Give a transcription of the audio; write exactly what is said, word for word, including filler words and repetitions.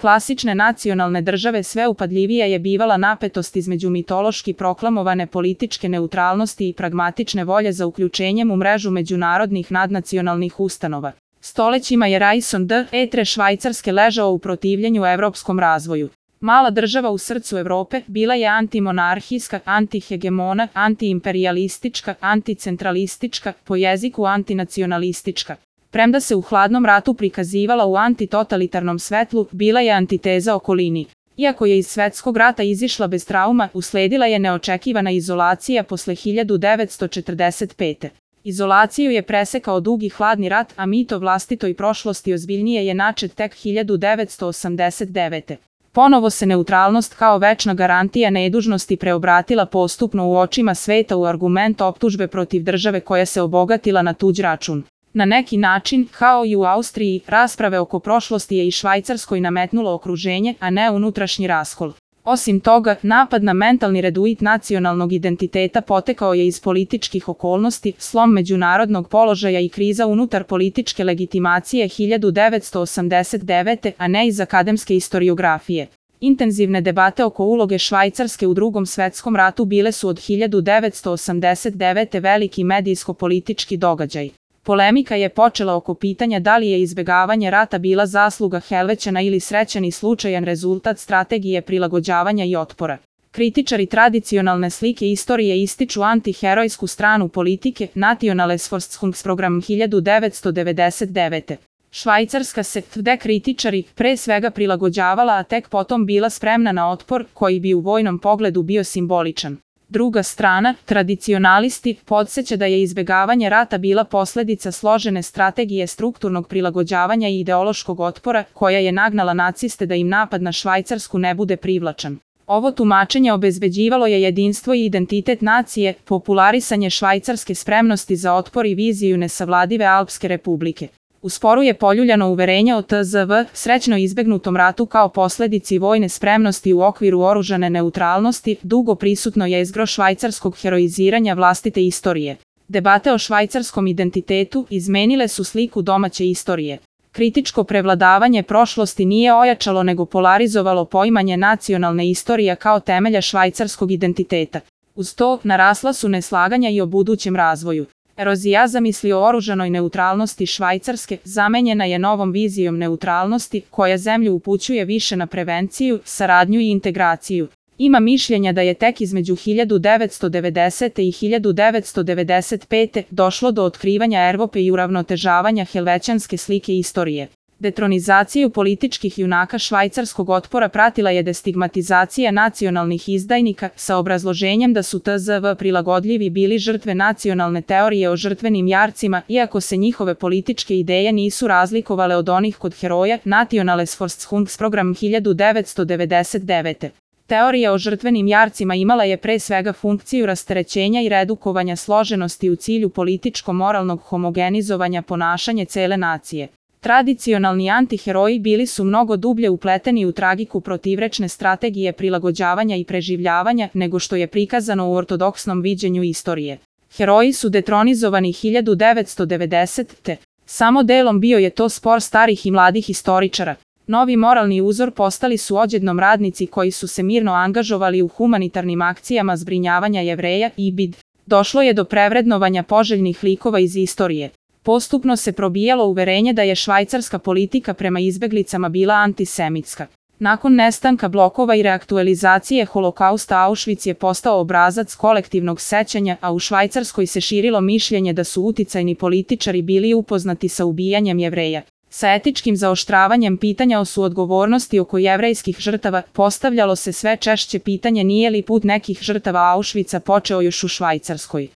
klasične nacionalne države sve upadljivija je bivala napetost između mitološki proklamovane političke neutralnosti i pragmatične volje za uključenjem u mrežu međunarodnih nadnacionalnih ustanova. Stolećima je Raison d'Etre Švajcarske ležao u protivljenju evropskom razvoju. Mala država u srcu Evrope bila je antimonarhijska, antihegemona, antiimperialistička, anticentralistička, po jeziku antinacionalistička. Premda se u hladnom ratu prikazivala u antitotalitarnom svetlu, bila je antiteza okolini. Iako je iz svetskog rata izišla bez trauma, usledila je neočekivana izolacija posle hiljadu devetsto četrdeset pete. Izolaciju je presekao dugi hladni rat, a mit o vlastitoj prošlosti ozbiljnije je načet tek hiljadu devetsto osamdeset devete. Ponovo se neutralnost kao večna garantija nedužnosti preobratila postupno u očima sveta u argument optužbe protiv države koja se obogatila na tuđ račun. Na neki način, kao i u Austriji, rasprave oko prošlosti je i Švajcarskoj nametnulo okruženje, a ne unutrašnji raskol. Osim toga, napad na mentalni reduit nacionalnog identiteta potekao je iz političkih okolnosti, slom međunarodnog položaja i kriza unutar političke legitimacije hiljadu devetsto osamdeset devete, a ne iz akademske istoriografije. Intenzivne debate oko uloge Švajcarske u Drugom svetskom ratu bile su od hiljadu devetsto osamdeset devete veliki medijsko-politički događaj. Polemika je počela oko pitanja da li je izbegavanje rata bila zasluga Helvećana ili srećan i slučajan rezultat strategije prilagođavanja i otpora. Kritičari tradicionalne slike istorije ističu antiherojsku stranu politike Nationalsforskungsprogram hiljadu devetsto devedeset devete. Švajcarska se, tvrde kritičari, pre svega prilagođavala, a tek potom bila spremna na otpor, koji bi u vojnom pogledu bio simboličan. Druga strana, tradicionalisti, podsjeća da je izbegavanje rata bila posledica složene strategije strukturnog prilagođavanja i ideološkog otpora, koja je nagnala naciste da im napad na Švajcarsku ne bude privlačan. Ovo tumačenje obezbeđivalo je jedinstvo i identitet nacije, popularisanje švajcarske spremnosti za otpor i viziju nesavladive Alpske republike. U sporu je poljuljano uverenje o T Z V, srećno izbegnutom ratu kao posledici vojne spremnosti u okviru oružane neutralnosti, dugo prisutno jezgro švajcarskog heroiziranja vlastite istorije. Debate o švajcarskom identitetu izmenile su sliku domaće istorije. Kritičko prevladavanje prošlosti nije ojačalo nego polarizovalo poimanje nacionalne istorije kao temelja švajcarskog identiteta. Uz to, narasla su neslaganja i o budućem razvoju. Erozija zamisli o oružanoj neutralnosti Švajcarske zamenjena je novom vizijom neutralnosti, koja zemlju upućuje više na prevenciju, saradnju i integraciju. Ima mišljenja da je tek između hiljadu devetsto devedesete i hiljadu devetsto devedeset pete došlo do otkrivanja Evrope i uravnotežavanja helvećanske slike istorije. Detronizaciju političkih junaka švajcarskog otpora pratila je destigmatizacija nacionalnih izdajnika sa obrazloženjem da su T Z V prilagodljivi bili žrtve nacionalne teorije o žrtvenim jarcima, iako se njihove političke ideje nisu razlikovale od onih kod heroja Nationalsforskungsprogram hiljadu devetsto devedeset devete. Teorija o žrtvenim jarcima imala je pre svega funkciju rasterećenja i redukovanja složenosti u cilju političko-moralnog homogenizovanja ponašanja cele nacije. Tradicionalni antiheroji bili su mnogo dublje upleteni u tragiku protivrečne strategije prilagođavanja i preživljavanja nego što je prikazano u ortodoksnom viđenju istorije. Heroji su detronizovani hiljadu devetsto devedesete. Samo delom bio je to spor starih i mladih istoričara. Novi moralni uzor postali su odjednom radnici koji su se mirno angažovali u humanitarnim akcijama zbrinjavanja Jevreja i B I D. Došlo je do prevrednovanja poželjnih likova iz istorije. Postupno se probijalo uverenje da je švajcarska politika prema izbeglicama bila antisemitska. Nakon nestanka blokova i reaktualizacije holokausta Auschwitz je postao obrazac kolektivnog sećanja, a u Švajcarskoj se širilo mišljenje da su uticajni političari bili upoznati sa ubijanjem Jevreja. Sa etičkim zaoštravanjem pitanja o suodgovornosti oko jevrejskih žrtava postavljalo se sve češće pitanje nije li put nekih žrtava Auschwitza počeo još u Švajcarskoj.